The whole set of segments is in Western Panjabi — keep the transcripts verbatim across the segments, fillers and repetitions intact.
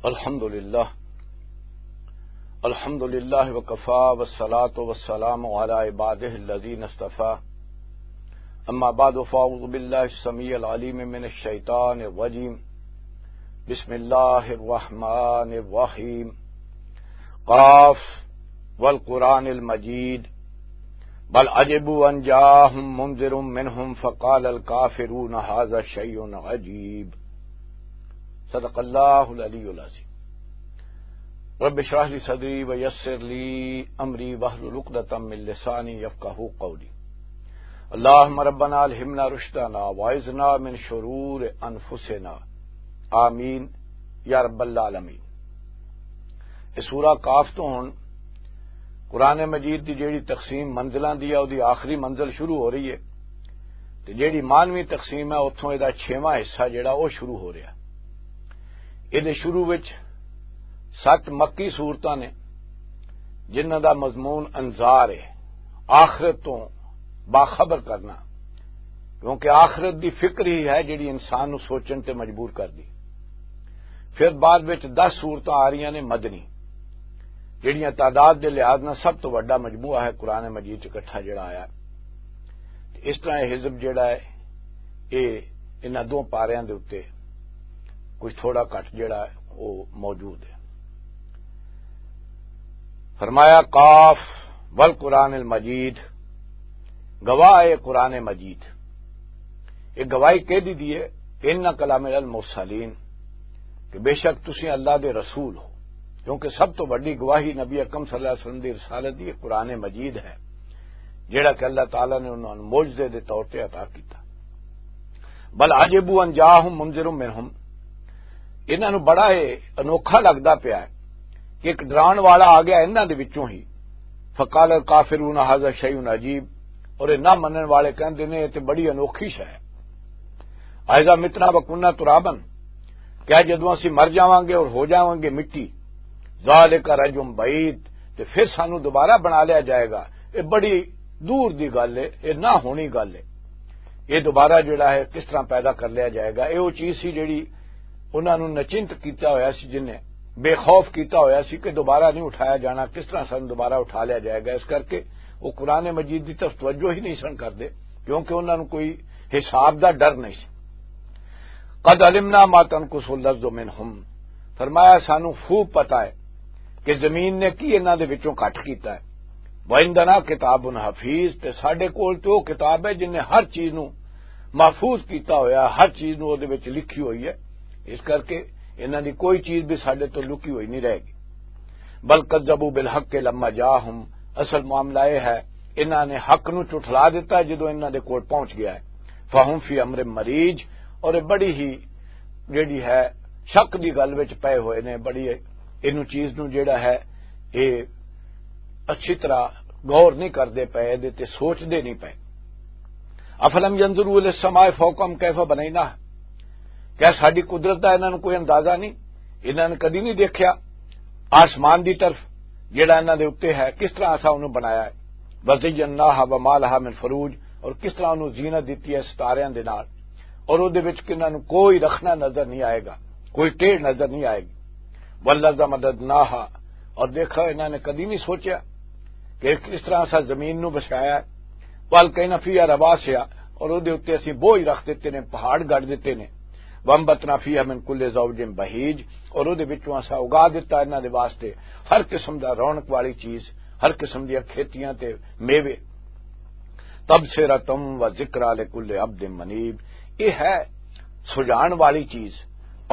الحمد لله. الحمد لله وكفى، والصلاة والسلام على عباده الذين اصطفى. أما بعد، فأعوذ بالله السميع العليم من الشيطان الرجيم. بسم الله الرحمن الرحيم. قاف والقرآن المجيد. بل عجبوا أن جاءهم منذر منهم فقال الكافرون هذا شيء عجيب. صدق اللہ العلی العظیم. رب اشرح لی صدری ویسر لی امری واحلل عقدۃ من لسانی یفقہوا قولی. اللہم ربنا الہمنا رشدنا واعذنا من شرور انفسنا. آمین یا رب العالمین. یہ سورہ کاف تو ہن قرآن مجید دی جیڑی تقسیم منزلاں دی ہے، او دی آخری منزل شروع ہو رہی ہے، تے جیڑی مانوی تقسیم ہے، اتھوں اے دا چھواں حصہ جیڑا، او شروع ہو رہیا. اے دے شروع وچ ست مکی صورتاں نے، جنہاں دا مضمون انذار ہے، آخرت تو باخبر کرنا، کیونکہ آخرت دی فکر ہی ہے جیڑی انسان نو سوچن تے مجبور کر دی. پھر بعد وچ دس صورتاں آ رہیاں نے مدنی، جیڑیاں تعداد دے لحاظ نال سب تو وڈا مجموعہ ہے قرآن مجید چ اکٹھا جڑا آیا. تے اس طرح یہ حزب جڑا ہے، یہ انہاں دو پاریاں دے اُتے کچھ تھوڑا گھٹ جڑا ہے، وہ موجود ہے. فرمایا، قاف والقرآن المجید، گواہ ہے قرآن مجید. یہ گواہی کہہ دی دی ہے کہ انک لمن المرسلین، کہ بے شک تسی اللہ دے رسول ہو، کیونکہ سب تو بڑی گواہی نبی اکرم صلی اللہ علیہ وسلم دی رسالت دی قرآن مجید ہے، جڑا کہ اللہ تعالیٰ نے انہاں نوں معجزے دے طور تے عطا کیتا. بل عجبوا ان جاءہم منذر منہم، انہاں نوں بڑا یہ انوکھا لگدا پیا ہے کہ ایک ڈران والا آ گیا انہاں دے وچوں ہی. فقال الکافرون ھذا شیء عجیب، اور یہ نہ منن والے کہندے نے، یہ تے بڑی انوکھی شے ہے. اذا متنا وکنا ترابا، کیا جدوں اسی مر جاواں گے اور ہو جاواں گے مٹی، ذالک رجع بعید، تے پھر سانو دوبارہ بنا لیا جائے گا؟ یہ بڑی دور دی گل ہے، یہ نہ ہونی گل ہے. یہ دوبارہ جڑا ہے، کس طرح پیدا کر لیا جائے گا؟ یہ وہ چیز سی جڑی انہاں نوں نچنت کیتا ہویا سی، جن نے بے خوف کیتا ہویا سی کہ دوبارہ نہیں اٹھایا جانا، کس طرح سانو دوبارہ اٹھا لیا جائے گا. اس کر کے وہ قرآن مجید دی طرف توجہ ہی نہیں سن کردے، کیونکہ انہاں نوں کوئی حساب دا ڈر نہیں سی. قد علمنا ما تنقص الارض منہم، فرمایا، سانو خوب پتہ ہے کہ زمین نے کی انہاں دے وچوں گھٹ کیتا ہے. وعندنا کتاب حفیظ، تے ساڈے کول تے او کتاب ہے جن نے ہر چیز نو محفوظ کیتا ہویا، ہر چیز نو او دے وچ لکھی ہوئی ہے. اس کر کے انہاں دی کوئی چیز بھی ساڈے تو لکی ہوئی نہیں رہے گی. بل کذبوا بالحق لما جاءہم، اصل معاملہ یہ ہے، انہاں نے حق نو جھٹلا دیتا ہے جدوں انہاں دے کول پہنچ گیا ہے. فہم فی امر مریج، اور یہ بڑی ہی جیڑی ہے شک دی گل وچ پئے ہوئے نے، بڑی اینو چیز نو جیڑا ہے یہ اچھی طرح غور نہیں کردے پئے، دے تے سوچدے نہیں پئے. افلم ينظروا الى السماء فوقهم كيف بنيناها، کیا ساڈی قدرت دا انہاں نوں کوئی اندازہ نہیں؟ انہاں نے کدی نہیں دیکھیا آسمان دی طرف جیڑا انہاں دے اُتے ہے، کس طرح اساں انہوں بنایا ہے؟ وزيناها وما لها من فروج، اور کس طرح انہوں زینت دتی ہے ستاریاں دے نال، اور او دے وچ کہ انہاں نوں کوئی رکھنا نظر نہیں آئے گا، کوئی ٹیڑھ نظر نہیں آئے گی. والارض مددناها، اور دیکھا انہاں نے کدی نہیں سوچیا کہ کس طرح اساں زمین نوں بچایا ہے. والقينا فيها رواسي، اور او دے اُتے اسی بوجھ رکھ دتے نے، پہاڑ گڑ دتے نے. وانبتنا فيها من كل زوج بهيج، اور او دے وچوں اساں اگا دتا انہاں دے واسطے ہر قسم دا رونق والی چیز، ہر قسم دیاں کھیتیاں تے میوے. تبصرة وذكرى لكل عبد منيب، یہ ہے سجان والی چیز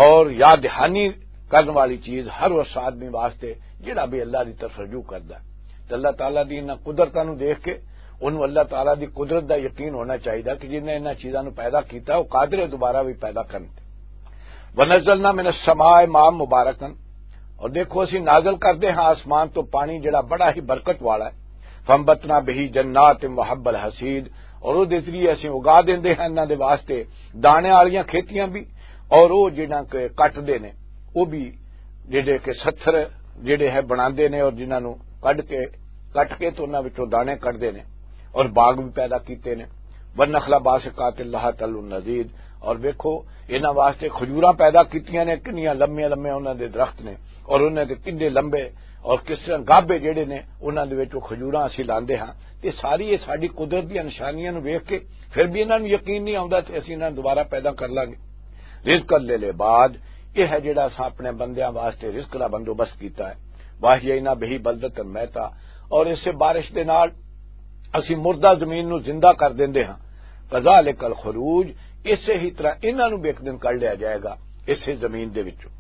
اور یاد دہانی کرن والی چیز ہر اس آدمی واسطے جڑا بھی اللہ دی طرف رجوع کردا ہے. تے اللہ تعالیٰ دی انہاں قدرتاں نوں دیکھ کے انہوں اللہ تعالیٰ دی قدرت دا یقین ہونا چاہیے کہ جن نے انہاں چیزاں نوں پیدا کیتا، وہ قادر ہے دوبارہ بھی پیدا کرن تے. ونزلنا من السماء ماء مباركا، اور دیکھو، اسی نازل کردے ہاں آسمان تو پانی جڑا بڑا ہی برکت والا ہے. فانبتنا به جنات وحب الحصيد، اور او دے ذریعے اسی اگا دیندے ہاں انہاں دے واسطے دانے والیاں کھیتیاں بھی، اور او جنہاں کے کٹ دے نے، او بھی جڑے کہ ستھر جڑے ہے بناندے نے، اور جنہاں نوں کڈ کے، کٹ کے تو انہاں وچوں دانے کڈ دے نے، اور باغ بھی پیدا کیتے نے. والنخل باسقات لها طلع نضيد۔ اور ویکھو، انہاں واسطے کھجوراں پیدا کیتیاں نے، کنیاں لمبیاں لمبیاں انہاں دے درخت نے، اور انہاں دے کنڈے لمبے، اور کس طرح گابے جڑے نے، انہاں دے وچ او کھجوراں اسی لاندے ہاں۔ تے ساری یہ ساڈی قدرت دی نشانیاں نوں ویکھ کے پھر بھی انہاں نوں یقین نہیں آوندا تے اسی انہاں نوں دوبارہ پیدا کر لاں گے۔ رزقا للعباد، یہ ہے جڑا اساں اپنے بندیاں واسطے رزق دا بندوبست کیتا ہے۔ واحیینا بہ بلدۃ میتا، اور اسے بارش دے نال اسی مردہ زمین نوں زندہ کر دیندے ہاں۔ کذالک الخروج، اسے ہی طرح انہاں نوں بھی ایک دن کڈ لیا جائے گا اسے زمین دے وچوں۔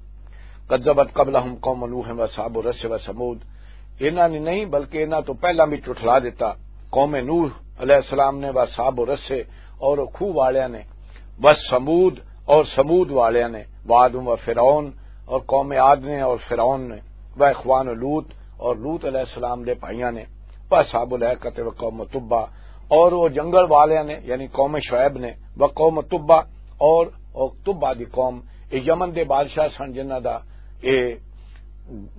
کذبت قبلہم قوم نوح و اصحاب الرس و ثمود، انہاں نے نہیں بلکہ انہاں تو پہلاں بھی جھٹلا دیتا قوم نوح علیہ السلام نے، و اصحاب الرس، اور کھوہ والیاں نے، و ثمود، اور ثمود والیاں نے، وعد و فرعون، اور قوم عاد نے اور فرعون نے، و اخوان لوط، اور لوط علیہ السلام دے بھائیاں نے، و اصحاب الایکہ و قوم تبع، اور وہ جنگل والیاں نے یعنی قوم شعیب نے، و قوم تبع، اور، اور تبع دی قوم، یہ یمن دے بادشاہ سن جنہاں دا یہ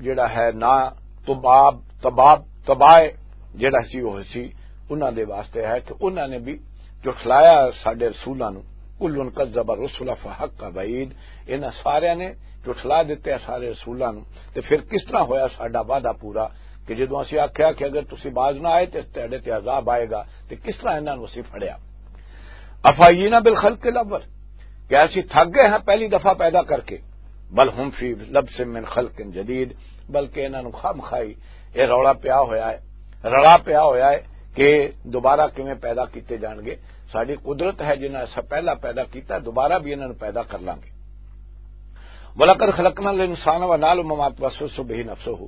جڑا ہے نا تباب، تباب، تبائے جڑا سی وہ سی، انہاں دے واسطے ہے کہ انہاں نے بھی جھٹلایا ساڈے رسولاں نوں۔ کل کذب الرسل فحق وعید، انہاں سارے نے جھٹلا دتے سارے رسولاں نوں۔ تے پھر کس طرح ہویا ساڈا وعدہ پورا کہ جدوں اسی آکھیا کہ اگر تسی باز نہ آئے تے تہاڈے تے عذاب آئے گا، تے کس طرح انہاں نوں اسی پھڑیا؟ افاینا بالخلق الاول، کیا اسی تھک گئے ہیں پہلی دفعہ پیدا کر کے؟ بل ہم فی لبس من خلق جدید، بلکہ انہاں نوں خام خائی یہ رولا پیا ہویا ہے، رلا پیا ہویا ہے کہ دوبارہ کیویں پیدا کیتے جان گے۔ ساری قدرت ہے جنہاں ایسا پہلا پیدا کیتا، دوبارہ بھی انہاں نوں پیدا کر لانگے۔ وَلَقَدْ خَلَقْنَا الْإِنسَانَ وَنَعْلَمُ مَا تُوَسْوِسُ بِهِ نَفْسُهُ،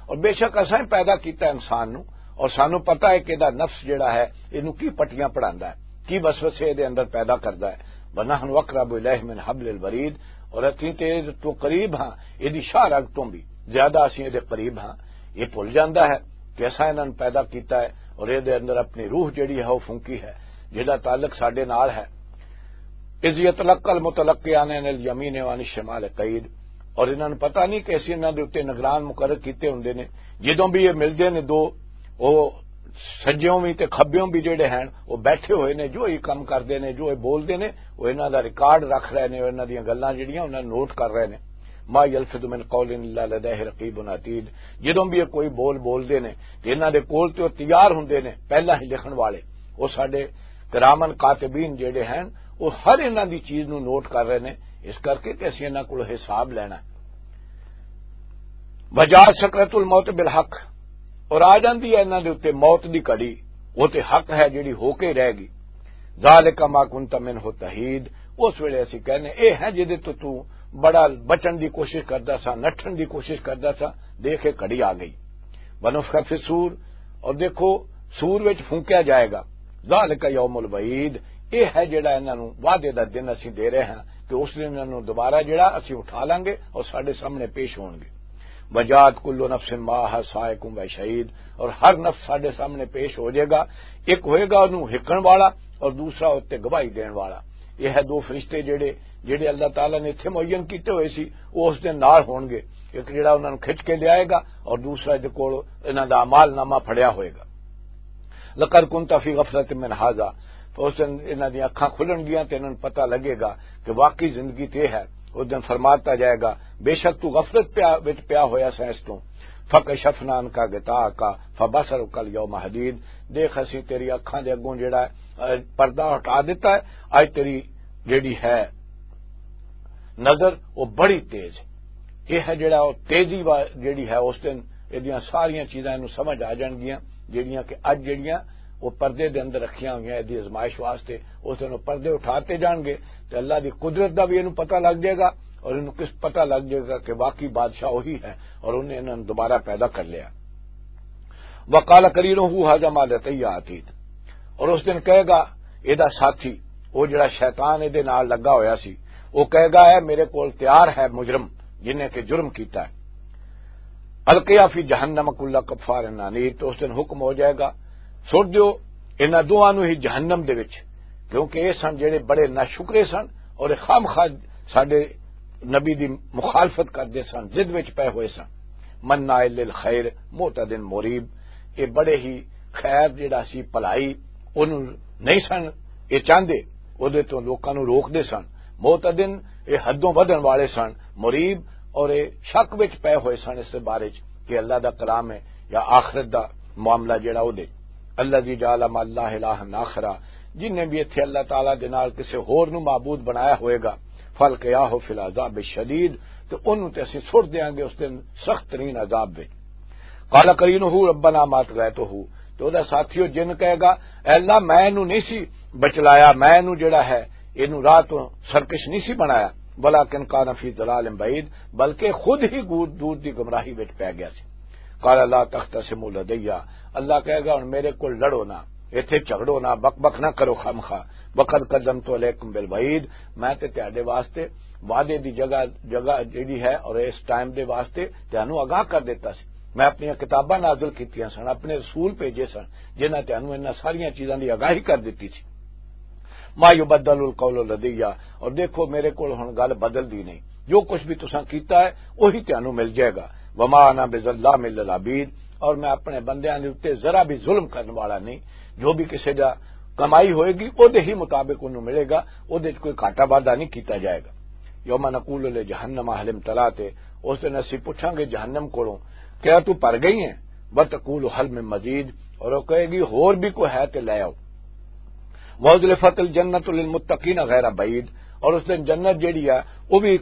اور بے شک اساں ہی پیدا کیتا انسان نو، اور سانو پتہ ہے کہ دا نفس جڑا ہے، اینو کی پٹیاں پڑھاندا ہے، کی وسوسے دے اندر پیدا کردا ہے۔ وَنَحْنُ أَقْرَبُ إِلَيْهِ مِنْ حَبْلِ الْوَرِيدِ، اور اتنی تیز تو قریب ہاں، ایدی شاہ رگ تو بھی زیادہ اسی ایدے قریب ہاں۔ یہ بھول جاندا ہے کہ اساں انہاں نوں پیدا کیتا ہے اور ایدے اندر اپنی روح جڑی ہے، وہ پھونکی ہے، جہدا تعلق ساڈے نال ہے۔ اذ یتلقی المتلقیان عن الیمین وعن الشمال قعید، اور انہاں نوں پتہ نہیں کہ اسی انہاں دے اُتے نگران مقرر کیتے ہوندے نے۔ جدوں بھی یہ ملدے نے دو، وہ سجیوں بھی تے کھبیوں بھی جڑے ہیں، وہ بیٹھے ہوئے نے، جو یہ کم کردے نے، جو یہ بولدے نے، وہ انہاں دا ریکارڈ رکھ رہے نے، اور انہاں دیاں گلاں جڑیاں انہاں نوٹ کر رہے نے۔ ما یلفظ من قول الا لدیہ رقیب عتید، جدوں بھی یہ کوئی بول بولدے نے تے انہاں دے کول تے وہ تیار ہوندے نے پہلا ہی لکھن والے، وہ ساڈے کرامن کاتبین جڑے ہیں، وہ ہر انہاں دی چیز نوں نوٹ کر رہے نے، اس کر کے کہ اسی انہاں کول حساب لینا ہے۔ وجاءت سکرۃ الموت بالحق، اور آ جاندی ہے انہاں دے اُتے موت دی گھڑی، وہ تے حق ہے جڑی ہو کے رہ گئی۔ ذالک ما کنت منہ تحید، اس ویلے اسی کہنے، اے ہے جدے تو تو بڑا بچن دی کوشش کردا سا، نٹھن دی کوشش کردا سا، دیکھ کے گھڑی آ گئی۔ ونفخ فی الصور، اور دیکھو سور وچ پھونکیا جائے گا۔ ذالک یوم الوعید، یہ ہے جڑا انہاں نوں وعدے دا دن اسی دے رہے ہاں کہ اس دن انہاں نوں دوبارہ جڑا اسی اٹھا لانگے اور ساڈے سامنے پیش ہون گے۔ وجاءت کل نفس معها سائق و شہید، اور ہر نفس ساڈے سامنے پیش ہو جائے گا۔ ایک ہوئے گا انہوں ہکن والا اور دوسرا اس تے گواہی دین والا۔ یہ ہے دو فرشتے جڑے، جڑے اللہ تعالیٰ نے اتھے معین کیتے ہوئے سی، وہ اس دن نال ہون گے۔ ایک جڑا انہاں نوں کھچ کے لے آئے گا اور دوسرا دے کول انہاں دا اعمال نامہ پھڑیا ہوئے گا۔ لقد کنت فی غفلۃ من ھذا، تو اس دن انہاں دیاں اکھاں کھلن گیاں تے انہاں نوں پتہ لگے گا کہ واقعی زندگی تے ہے۔ اس دن فرماتا جائے گا، بے شک تو غفلت پیا، وچ پیا ہویا سا اس تو۔ فکشفنا عنک غطاءک فبصرک الیوم حدید، دیکھ اسی تیری اکھاں دے اگوں جڑا ہے، اے، پردہ ہٹا دیتا ہے۔ اج تیری جڑی ہے نظر، وہ بڑی تیز ہے۔ یہ ہے جڑا وہ تیزی وا-، جڑی ہے اس دن، ایدیاں ساریاں چیزاں اینوں سمجھ آ جان گیاں، جڑیاں کہ اج جڑیاں وہ پردے دے اندر رکھیاں ہوئیاں ایدی آزمائش واسطے۔ اس دن وہ پردے اٹھاتے جان گے تے اللہ دی قدرت دا بھی اینوں پتہ لگ جائے گا اور اینوں کس پتہ لگ جائے گا کہ واقعی بادشاہ وہی ہے اور انہیں انہاں نوں دوبارہ پیدا کر لیا۔ وقال قرینہ ھذا ما لدی عتید، اور اس دن کہے گا ایدا ساتھی، وہ جڑا شیطان ایدے نال لگا ہویا سی، وہ کہے گا، اے میرے کول تیار ہے مجرم جن نے کہ جرم کیتا ہے۔ القیا فی جہنم کل کفار عنید، تو اس دن حکم ہو جائے گا، سٹ دیو انہاں دوواں نوں ہی جہنم دے وچ، کیونکہ یہ سن جڑے بڑے ناشکرے سن اور خام خواہ ساڈے نبی دی مخالفت کردے سن، ضد وچ پے ہوئے سن۔ مناع للخیر معتد مریب، یہ بڑے ہی خیر جڑا سی بھلائی، انہوں نہیں سن یہ چاہندے، اودے تو لوکاں نوں روکدے سن۔ معتدن، یہ حدوں ودھن والے سن۔ مریب، اور یہ شک وچ پے ہوئے سن اس بارے چ کہ اللہ دا کلام ہے یا آخرت دا معاملہ جڑا او دے۔ الذی جعل مع اللہ الہا آخرا، جن نے بھی اتھے اللہ تعالیٰ دے نال کسے ہور نو معبود بنایا ہوئے گا، فالقیاہ فی العذاب الشدید، تو انہوں تے اسی سٹ دیاں گے اس دن سخت ترین عذاب وچ۔ قال قرینہ ربنا ما طغیتہ، تو او دا ساتھی او جن کہے گا، اے اللہ، میں اینو نہیں سی بچلایا، میں اینو جڑا ہے، اینو راہ تو سرکش نہیں سی بنایا، ولکن کان فی ضلال بعید، بلکہ خود ہی گور-، دور دی گمراہی وچ پی گیا سی۔ قال لا تختصموا لدی، اللہ کہے گا، ہن میرے کول لڑو نہ، ایتھے جھگڑو نہ، بک بک نہ کرو خامخواہ۔ وقد قدمت علیکم بالوعید، میں تے تہاڈے واسطے وعدے دی جگہ، جگہ جڑی ہے اور اس ٹائم دے واسطے تہانوں آگاہ کر دیتا سی۔ میں اپنی کتاباں نازل کیتیاں سن، اپنے رسول بھیجے سن، جنہاں تہانوں انہاں ساریاں چیزاں دی آگاہی کر دتی سی۔ ما یبدل القول لدی، اور دیکھو میرے کول ہن گل بدل دی نہیں، جو کچھ بھی تساں کیتا ہے وہی تہانوں مل جائے گا۔ وما انا بظلام للعبید، اور میں اپنے بندیاں دے اُتے ذرا بھی ظلم کرن والا نہیں۔ جو بھی کسے دا کمائی ہوئے گی، او دے ہی مطابق انہوں ملے گا، او دے وچ کوئی گھاٹا وعدہ نہیں کیتا جائے گا۔ یوم نقول لجہنم هل امتلأت، اس دن اسی پوچھاں گے جہنم کولوں، کیا تو بھر گئی ہیں؟ وتقول هل من مزید، اور وہ کہے گی، ہور بھی کوئی ہے تے لے آؤ۔ وَأُزْلِفَتِ الْجَنَّةُ لِلْمُتَّقِينَ غَيْرَ بَعِيدٍ، اور اس دن جنت جیڑی ہے، وہ بھی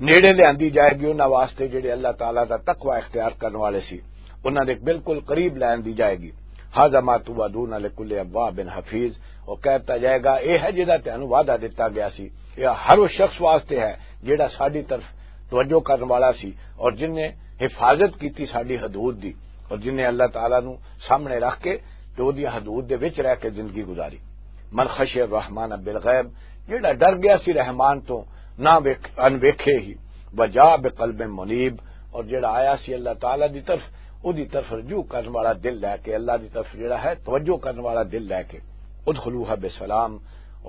نیڑے لیاندی جائے گی انہاں واسطے جڑے اللہ تعالیٰ دا تقوی اختیار کرن والے سی، انہاں دے بالکل قریب لیاندی جائے گی۔ هَذَا مَا تُوعَدُونَ لِكُلِّ أَوَّابٍ حَفِيظٍ، وہ کہتا جائے گا، اے ہے جڑا تینوں وعدہ دتا گیا سی، یہ ہر اس شخص واسطے ہے جڑا ساڈی طرف توجہ کرن والا سی اور جن نے حفاظت کیتی ساڈی حدود دی، اور جن نے اللہ تعالیٰ نو سامنے رکھ کے تے اودی حدود دے وچ رہ کے زندگی گزاری۔ من خشی الرحمن بالغیب، جڑا ڈر گیا سی رحمان تو، نہ ویکھ-، ان ویکھے ہی، وجاء بقلب منیب، اور جڑا آیا سی اللہ تعالیٰ دی طرف، اودی طرف رجوع کرن والا دل لے کے، اللہ دی طرف جڑا ہے توجہ کرن والا دل لے کے۔ ادخلوها بسلام،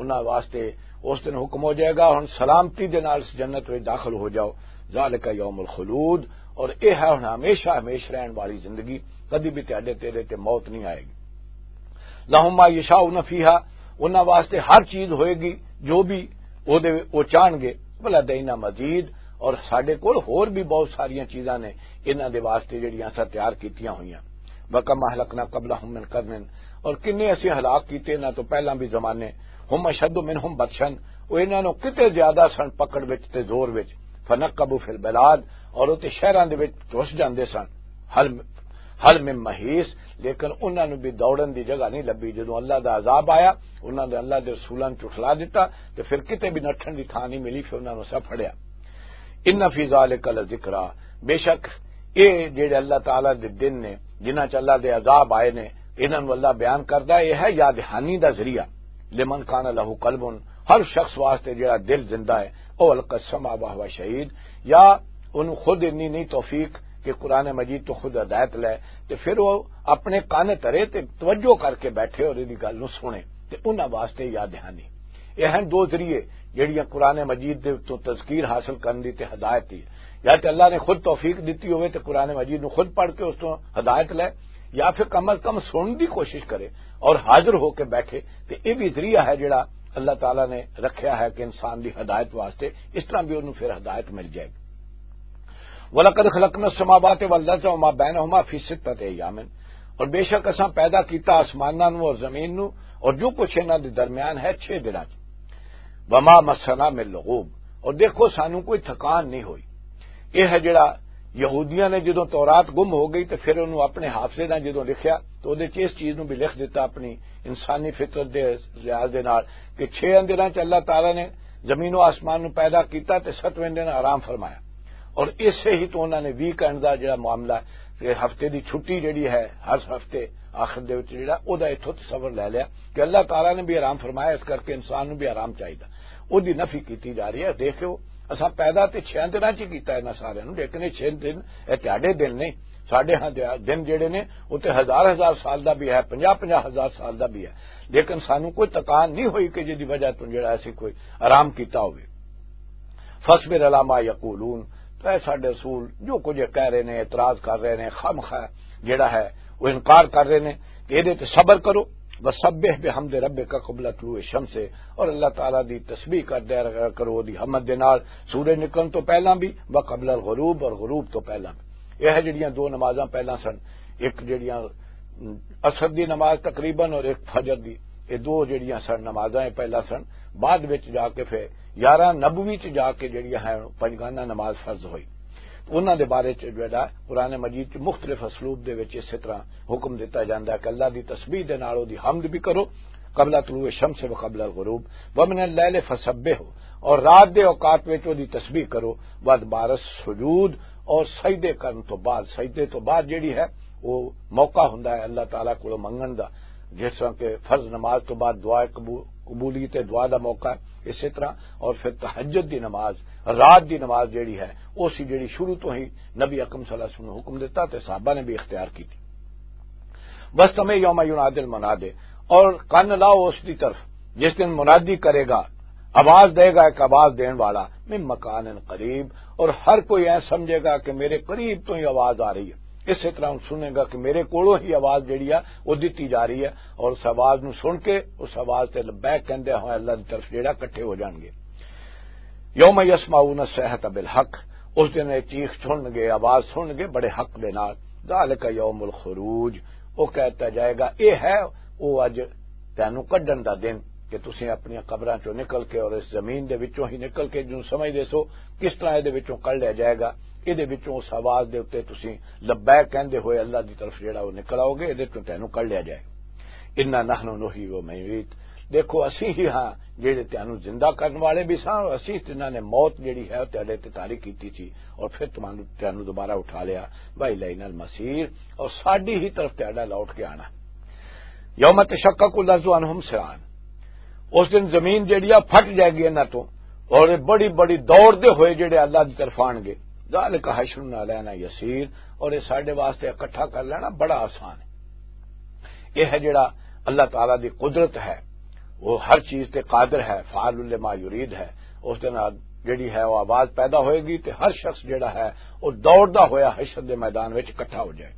انہاں واسطے اس دن حکم ہو جائے گا، ہن سلامتی دے نال اس جنت وچ داخل ہو جاؤ۔ ذالک یوم الخلود، اور اے ہے ہن ہمیشہ ہمیش رہن والی زندگی، کدی بھی تہاڈے تیرے تے موت نہیں آئے گی۔ لہم ما یشاؤون فیہا، انہاں واسطے ہر چیز ہوئے گی جو بھی او دے، او چاہن گے۔ ولدینا مزید، اور ساڈے کول ہور بھی بہت ساریاں چیزاں نے انہاں دے واسطے جڑیاں اساں تیار کیتیاں ہوئیاں۔ وَكَمْ أَهْلَكْنَا قَبْلَهُمْ مِنْ قَرْنٍ، اور کنے اسی ہلاک کیتے انہاں تو پہلاں بھی زمانے، هُمْ أَشَدُّ مِنْهُمْ بَطْشًا، او انہاں نوں کتے زیادہ سن پکڑ وچ تے زور وچ، فَنَكَّبُوا فِي الْبِلَادِ، اور او تے شہراں دے وچ گھس جاندے سن، هَلْ، هَلْ مِنْ مَحِيصٍ، لیکن انہاں نوں بھی دوڑن دی جگہ نہیں لبھی۔ جدوں اللہ دا عذاب آیا، انہاں دے اللہ دے رسولاں نوں جھٹلا دتا تے پھر کتے بھی نٹھن دی تھاں نہیں ملی، پھر انہاں نوں سا پھڑیا۔ ان فی ذالک لذکری، بے شک اے جڑے اللہ تعالیٰ دے دن نے، جنہاں چ اللہ دے عذاب آئے نے، انہاں نوں اللہ بیان کردا ہے، اے ہے یاد دہانی دا ذریعہ۔ لمن کان لہ قلب، ہر شخص واسطے جڑا دل زندہ ہے، او القی السمع وہو شہید، یا انہوں خود انی نہیں توفیق کہ قرآن مجید تو خود ہدایت لے، تے پھر وہ اپنے کان ترے تے توجہ کر کے بیٹھے اور دی گل نوں سنے، تے انہاں واسطے یاد دہانی۔ یہ ہیں دو ذریعے جڑیاں قرآن مجید دے تو تذکیر حاصل کرن دی تے ہدایت دی۔ یا تے اللہ نے خود توفیق دتی ہوئے تے قرآن مجید نو خود پڑھ کے اس تو ہدایت لے، یا پھر کم از کم سنن دی کوشش کرے اور حاضر ہو کے بیٹھے، تے یہ بھی ذریعہ ہے جڑا اللہ تعالیٰ نے رکھیا ہے کہ انسان دی ہدایت واسطے، اس طرح بھی انہوں پھر ہدایت مل جائے گی۔ وَلَقَدْ خَلَقْنَا السَّمَاوَاتِ وَالْأَرْضَ وَمَا بَيْنَهُمَا فِي سِتَّةِ أَيَّامٍ، اور بے شک اساں پیدا کیتا آسماناں نو اور زمین نو اور جو کچھ انہاں دے درمیان ہے چھ دناں چ۔ وما مسنا من لغوب، اور دیکھو سانو کوئی تھکان نہیں ہوئی۔ یہ ہے جڑا یہودیاں نے جدوں تورات گم ہو گئی تے پھر انہوں اپنے حافظے نال جدوں لکھیا تو اودے چ اس چیز نو بھی لکھ دیتا اپنی انسانی فطرت دے لحاظ دے نال کہ چھ دناں چ اللہ تعالیٰ نے زمین و آسمان نو پیدا کیتا تے ستویں دن آرام فرمایا۔ اور اسے ہی تو انہاں نے ویکینڈ دا جڑا معاملہ ہے کہ ہفتے دی چھٹی جڑی ہے ہر ہفتے آخر دے وچ جڑا او دا اتھوں تصور لے لیا کہ اللہ تعالیٰ نے بھی آرام فرمایا، اس کر کے انسان نو بھی آرام چاہیدا۔ او دی نفی کیتی جا رہی ہے۔ دیکھو، اساں پیدا تے چھے دناں چ کیتا ہے انہاں سارے نو، لیکن یہ چھ دن، یہ تہاڈے دن نہیں۔ ساڈے ہاں دے دن جڑے نے، او تے ہزار ہزار سال دا بھی ہے، پنجاہ پنجاہ ہزار سال دا بھی ہے، لیکن سانو کوئی تکان نہیں ہوئی کہ جدی وجہ تو جڑا اسی کوئی آرام کیتا ہوئے۔ فاصبر علی ما یقولون، تو اے ساڈے رسول، جو کچھ یہ کہہ رہے نے، اعتراض کر رہے نے، خامخواہ جڑا ہے وہ انکار کر رہے نے، کہ اے دے تے صبر کرو۔ وسبح بحمد ربک قبل طلوع الشمس، اور اللہ تعالیٰ دی تسبیح کر دیا کرو دی حمد دے نال، سورج نکلن تو پہلاں بھی، وقبل الغروب، اور غروب تو پہلاں بھی۔ یہ ہے جڑیاں دو نمازاں پہلاں سن، ایک جڑیاں عصر دی نماز تقریباً اور ایک فجر دی، یہ دو جڑیاں سن نمازاں، یہ پہلاں سن، بعد وچ جا کے پھر یارہ نبوی چ جا کے جڑیاں ہیں پنجگانہ نماز فرض ہوئی۔ انہاں دے بارے چ جڑا قرآن مجید چ مختلف اسلوب دے وچ اسی طرح حکم دتا جاندا ہے کہ اللہ دی تسبیح دے نال او دی حمد بھی کرو، قبل طلوع الشمس و قبل الغروب، ومن اللیل فسبح، اور رات دے اوقات وچ او دی تسبیح کرو، وادبار السجود، اور سجدے کرن تو بعد، سجدے تو بعد جڑی ہے او موقع ہوندا ہے اللہ تعالیٰ کولوں منگن دا، جس طرح کہ فرض نماز تو بعد دعا قبو-، قبولیت دعا دا موقع ہے، اسی طرح اور پھر تہجد دی نماز، رات دی نماز جڑی ہے، او سی جڑی شروع تو ہی نبی اکرم صلی اللہ علیہ وسلم نے حکم دیتا تے صحابہ نے بھی اختیار کی تھی۔ وَاسْتَمِعْ يَوْمَ يُنَادِ الْمُنَادِ، اور کن لاؤ اس دی طرف جس دن منادی کرے گا، آواز دے گا ایک آواز دین والا، مِنْ مَكَانٍ قَرِيبٍ، اور ہر کوئی اے سمجھے گا کہ میرے قریب تو ہی آواز آ رہی ہے۔ اسی طرح ہن سنے گا کہ میرے کولوں ہی آواز جڑی ہے وہ دتی جا رہی ہے، اور اس آواز نو سن کے اس آواز تے لبیک کہندے ہوئے اللہ دی طرف جڑا اکٹھے ہو جان گے۔ یوم یسمعون الصیحۃ بالحق، اس دن یہ چیخ سن گے، آواز سن گے بڑے حق دے نال۔ ذالک یوم الخروج، وہ کہتا جائے گا، اے ہے وہ اج تینوں کڈن دا دن کہ تسیں اپنی قبراں چوں نکل کے اور اس زمین دے وچوں ہی نکل کے جوں سمجھ دے سو کس طرح اے دے وچوں کڈ لیا جائے گا، اے دے وچوں اس آواز دے اُتے تسیں لبیک کہندے ہوئے اللہ دی طرف جڑا وہ نکل آؤ گے، اے دے وچوں تینوں کڈ لیا جائے۔ انا نحن نحیی و نمیت، دیکھو اسی ہی ہاں جڑے تینوں زندہ کرن والے بھی ساں، اور اسی تیناں نے موت جڑی ہے وہ تیرے تے طاری کیتی تھی اور پھر تمہانوں تینوں دوبارہ اٹھا لیا۔ و الینا المصیر، اور ساڈی ہی طرف تیرا لوٹ کے آنا۔ یوم تشقق الارض عنہم سرعان، اس دن زمین جڑی آ پھٹ جائے گی انہاں تو، اور یہ بڑی بڑی دوڑ دے ہوئے جڑے اللہ دی طرف آن گے۔ ذالک حشر علینا یسیر، اور یہ ساڈے واسطے اکٹھا کر لینا بڑا آسان ہے۔ یہ ہے جڑا اللہ تعالیٰ دی قدرت ہے، وہ ہر چیز تے قادر ہے، فعال لما یرید ہے۔ اس دے نال جڑی ہے وہ آواز پیدا ہوئے گی تے ہر شخص جڑا ہے وہ دوڑدا ہویا حشر دے میدان وچ اکٹھا ہو جائے۔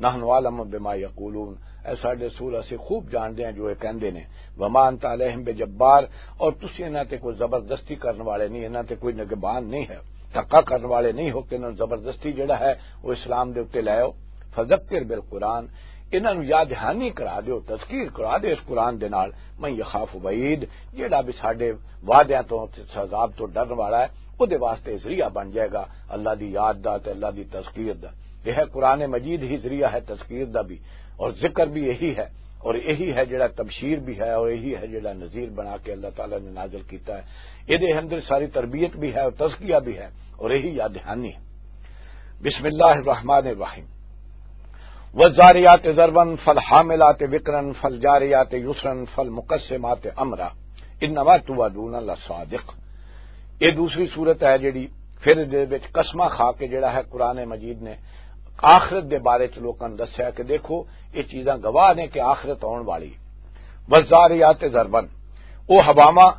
نحن عالم بما یقولون، اے ساڈے رسول، اسی خوب جانتے ہیں جو یہ کہندے نے۔ وما انت علیہم بجبار، اور تسی انہاں تے کوئی زبردستی کرن والے نہیں، انہاں تے کوئی نگبان نہیں ہے، دھکا کرن والے نہیں ہو کہ انہاں نوں زبردستی جڑا ہے وہ اسلام دے اُتے لے آؤ۔ فذکر بالقرآن، انہاں نوں یاد دہانی کرا دیو، تذکیر کرا دیو اس قرآن دے نال۔ من یخاف وعید، جڑا بھی ساڈے وعدیاں تو، عذاب تو ڈرن والا ہے، او دے واسطے ذریعہ بن جائے گا اللہ دی یاد دا تے اللہ دی تذکیر دا۔ یہ ہے قرآن مجید ہی ذریعہ ہے تذکیر دا بھی، اور ذکر بھی یہی ہے، اور یہی ہے جڑا تبشیر بھی ہے، اور یہی ہے جڑا نذیر بنا کے اللہ تعالیٰ نے نازل کیتا ہے۔ یہ دے اندر ساری تربیت بھی ہے اور تزکیہ بھی ہے، اور یہی یاد دہانی ہے۔ بسم اللہ الرحمن الرحیم۔ والذاریات ذروا فالحاملات وقرا فالجاریات یسرا فالمقسمات امرا انما توعدون لصادق۔ یہ دوسری صورت ہے جڑی پھر دے وچ قسمہ کھا کے جڑا ہے قرآن مجید نے آخرت دے بارے چ لوکاں نوں دسیا کہ دیکھو یہ چیزاں گواہ نے کہ آخرت آن والی۔ والذاریات ذروا، وہ ہواواں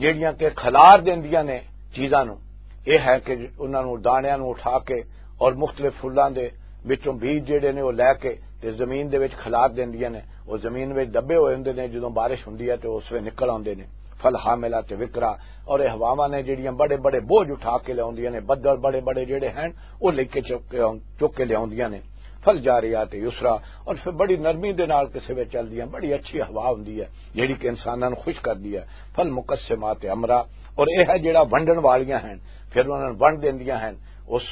جڑیاں کہ کھلار دیندیاں نے چیزاں نوں، یہ ہے کہ انہاں نوں دانیاں نوں اٹھا کے اور مختلف پھلاں دے وچوں بیج جڑے نے وہ لے کے تے زمین دے وچ کھلار دیندیاں نے۔ وہ زمین وچ دبے ہوئے ہوندے نے، جدوں بارش ہوندی ہے تے اس وچ نکل آوندے نے۔ فالحاملات وقرا، اور یہ ہواواں نے جڑیاں بڑے بڑے بوجھ اٹھا کے لیاوندیاں نے، بدل بڑے بڑے جڑے ہیں وہ لے کے چک کے آن-، چک کے لیاوندیاں نے۔ فالجاریات یسرا، اور پھر بڑی نرمی دے نال کسے وچ چلدیاں، بڑی اچھی ہوا ہوندی ہے جڑی کہ انساناں نوں خوش کردی ہے۔ فالمقسمات امرا، اور یہ ہے جڑا ونڈن والیاں ہیں، پھر انہاں نوں ونڈ دیندیاں ہیں اس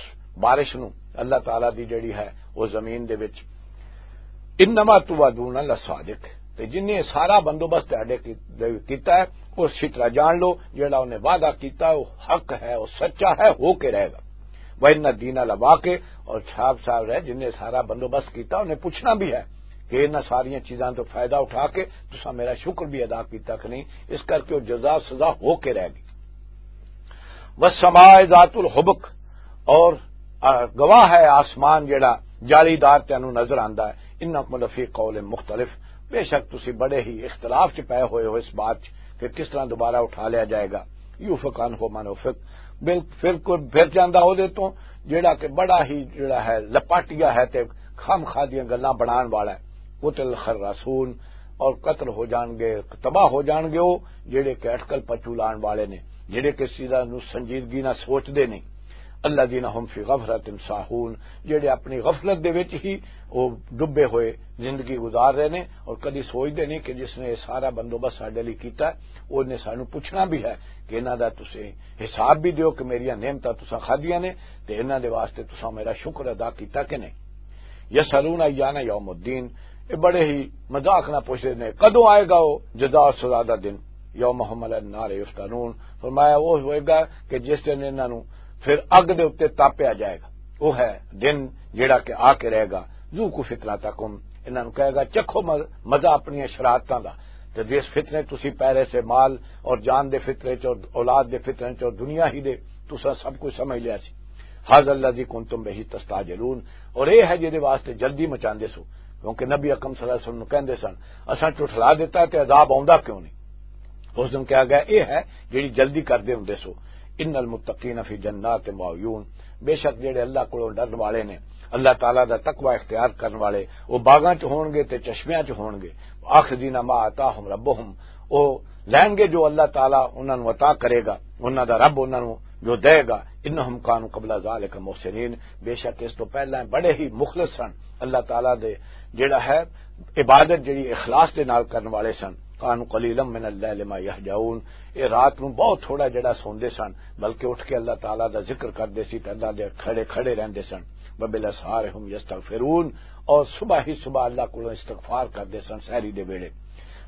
بارش نوں، اللہ تعالیٰ دی جڑی ہے وہ زمین دے وچ۔ انما توعدون لصادق، تے جن نے سارا بندوبست تہاڈے کی-، کیتا ہے، اس طرح جان لو جڑا انہیں وعدہ کیتا ہے وہ حق ہے، وہ سچا ہے، ہو کے رہے گا۔ وان الدین لواقع، اور صاحب صاحب رہے جن نے سارا بندوبست کیتا انہیں پوچھنا بھی ہے کہ انہاں ساریاں چیزاں تو فائدہ اٹھا کے تساں میرا شکر بھی ادا کیتا کہ نہیں، اس کر کے وہ جزا سزا ہو کے رہ گئی۔ والسماء ذات الحبک، اور، آ، گواہ ہے آسمان جڑا جالی دار تینوں نظر آندا ہے۔ انکم لفی قول مختلف، بے شک تسی بڑے ہی اختلاف چ پے ہوئے ہو اس بات چ کہ کس طرح دوبارہ اٹھا لیا جائے گا۔ یوفک عنہ من افک، بل-، پھر کوئی پھر جاندا او دے تو جڑا کہ بڑا ہی جڑا ہے لپاٹیا ہے تے خام خادیاں گلاں بنان والا ہے۔ قتل الخراسون، اور قتل ہو جان گے، تباہ ہو جان گے وہ جڑے کہ اٹکل پچو لان والے نے، جڑے کہ اس چیزاں نو سنجیدگی نہ سوچ دے نہیں۔ الذین هم فی غفلۃ ساہون، جڑے اپنی غفلت دے وچ ہی وہ ڈبے ہوئے زندگی گزار رہے نے اور کدی سوچ دے نہیں کہ جس نے یہ سارا بندوبست ساڈے لئی کیتا ہے، اس نے سانو پوچھنا بھی ہے کہ انہاں دا تسیں حساب بھی دیو کہ میریاں نعمتاں تساں کھادیاں نے تے انہاں دے واسطے تساں میرا شکر ادا کیتا کہ نہیں۔ یسألون ایان یوم الدین، یہ بڑے ہی مذاق نہ پوچھتے نے، کدوں آئے گا وہ جزا اور سزا دا دن؟ یوم هم علی النار یفتنون، فرمایا وہ ہوئے گا کہ جس دن انہاں نوں پھر اگ دے اُتے تاپیا جائے گا۔ وہ ہے دن جیڑا کہ آ کے رہے گا۔ ذوقوا فتنتکم، انہاں نوں کہے گا، چکھو مز-، مزہ اپنی شرارتاں دا۔ تے جس فتنے تسی پہلے سے مال اور جان دے فتنے چ اور اولاد دے فتنے چ اور دنیا ہی دے، تساں سب کچھ سمجھ لیا سی۔ ھذا الذی کنتم بہ تستعجلون، اور یہ ہے جہدے واسطے جلدی مچاندے سو، کیونکہ نبی اکرم صلی اللہ علیہ وسلم نوں کہندے سن، اساں ٹھٹلا دیتا تے عذاب آوندا کیوں نہیں؟ اس دن کہا گیا، یہ ہے جڑی جلدی کردے ہوندے سو۔ ان المتقین فی جنات و عیون، بے شک جڑے اللہ کولوں ڈرن والے نے، اللہ تعالیٰ دا تقوی اختیار کرن والے، وہ باغاں چ ہون گے تے چشمیاں چ ہون گے۔ آخذین ما آتاہم ربہم، وہ لین گے جو اللہ تعالیٰ انہاں نوں عطا کرے گا، انہاں دا رب انہاں نوں جو دے گا۔ انہم کانوا قبل ذالک محسنین، بے شک اس تو پہلا بڑے ہی مخلص سن اللہ تعالیٰ دے، جڑا ہے عبادت جڑی اخلاص دے نال کرن والے سن۔ کانوا قلیلا من اللیل ما یہجعون، اے رات نوں بہت تھوڑا جڑا سوندے سن، بلکہ اٹھ کے اللہ تعالیٰ دا ذکر کردے سی تے اللہ دے کھڑے کھڑے رہندے سن۔ وبالاسحار هم یستغفرون، اور صبح ہی صبح اللہ کولوں استغفار کردے سن سحری دے ویلے۔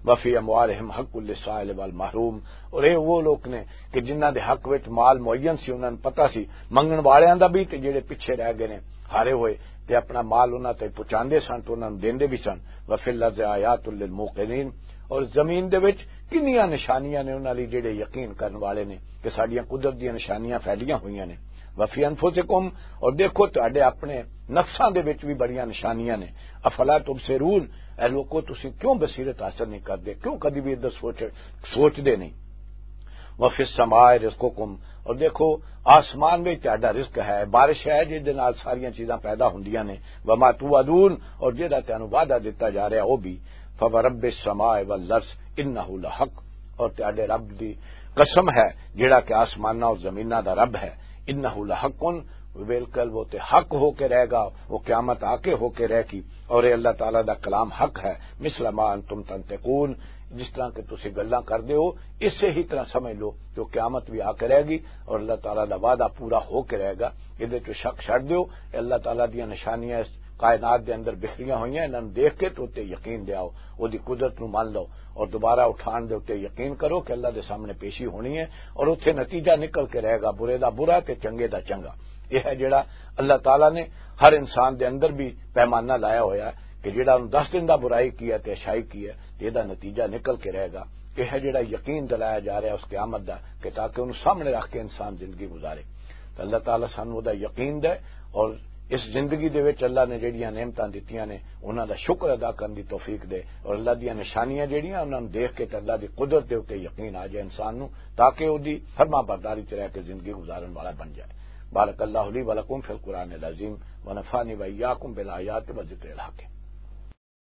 وفی اموالہم حق للسائل والمحروم، اور اے وہ لوگ نے کہ جنہاں دے حق وچ مال معین سی، انہاں نوں پتہ سی منگن والیاں دا بھی تے جڑے پیچھے رہ گئے نے ہارے ہوئے، تے اپنا مال انہاں تے پہنچاندے سن تے انہاں نوں دیندے بھی سن۔ وفی الارض آیات للموقنین، اور زمین دے وچ کنیاں نشانیاں نے انہاں لئی جڑے یقین کرن والے نے کہ ساڈیاں قدرت دیاں نشانیاں پھیلیاں ہوئیاں نے۔ وفی انفسکم، اور دیکھو تہاڈے اپنے نفساں دے وچ بھی بڑیاں نشانیاں نے۔ افلا تبصرون، اے لوکو تسی کیوں بصیرت حاصل نہیں کردے، کیوں کدی بھی ادھر سوچ، سوچدے نہیں؟ وفی السماء رزقکم، اور دیکھو آسمان وچ تہاڈا رزق ہے، بارش ہے جس دے نال ساریاں چیزاں پیدا ہوندیاں نے۔ وما توعدون، اور جہدا تانوں وعدہ دتا جا رہا وہ بھی۔ فورب السماء والارض انہ لحق، اور تہاڈے رب دی قسم ہے جڑا کہ آسماناں اور زمیناں دا رب ہے۔ انہ لحق، بالکل وہ تے حق ہو کے رہے گا، وہ قیامت آ کے ہو کے رہے گی، اور یہ اللہ تعالیٰ دا کلام حق ہے۔ مثل ما انتم تنطقون، جس طرح کہ تسی گلاں کردے ہو، اسے ہی طرح سمجھ لو کہ وہ قیامت بھی آ کے رہے گی اور اللہ تعالیٰ دا وعدہ پورا ہو کے رہے گا۔ ادھر تو شک چھڈ دیو، اے اللہ تعالیٰ دیاں نشانیاں اس کائنات دے اندر بکھریاں ہوئیاں، انہاں نوں دیکھ کے تو تے یقین دے آؤ، او دی قدرت نوں مان لو، اور دوبارہ اٹھان دے اُتے یقین کرو کہ اللہ دے سامنے پیشی ہونی ہے، اور اتھے نتیجہ نکل کے رہے گا، برے دا برا تے چنگے دا چنگا۔ یہ ہے جڑا اللہ تعالیٰ نے ہر انسان دے اندر بھی پیمانہ لایا ہویا ہے کہ جڑا انہوں دس دن دا برائی کی ہے تے اچھائی کی ہے، تے دا نتیجہ نکل کے رہے گا۔ یہ ہے جڑا یقین دلایا جا رہا ہے اس قیامت دا، کہ تاکہ انہوں سامنے رکھ کے انسان زندگی گزارے۔ تو اللہ تعالیٰ سانوں دا یقین دے، اور اس زندگی دے وچ اللہ نے جڑیاں نعمتاں دتیاں نے، انہاں دا شکر ادا کرن دی توفیق دے، اور اللہ دیاں نشانیاں جڑیاں، انہاں نوں دیکھ کے تے اللہ دی قدرت دے اُتے یقین آ جائے انسان نوں، تاکہ او دی فرما برداری چ رہ کے زندگی گزارن والا بن جائے۔ بارک اللہ لی و لکم فی القرآن العظیم، و نفعنی و ایاکم بالآیات و ذکر الحکیم۔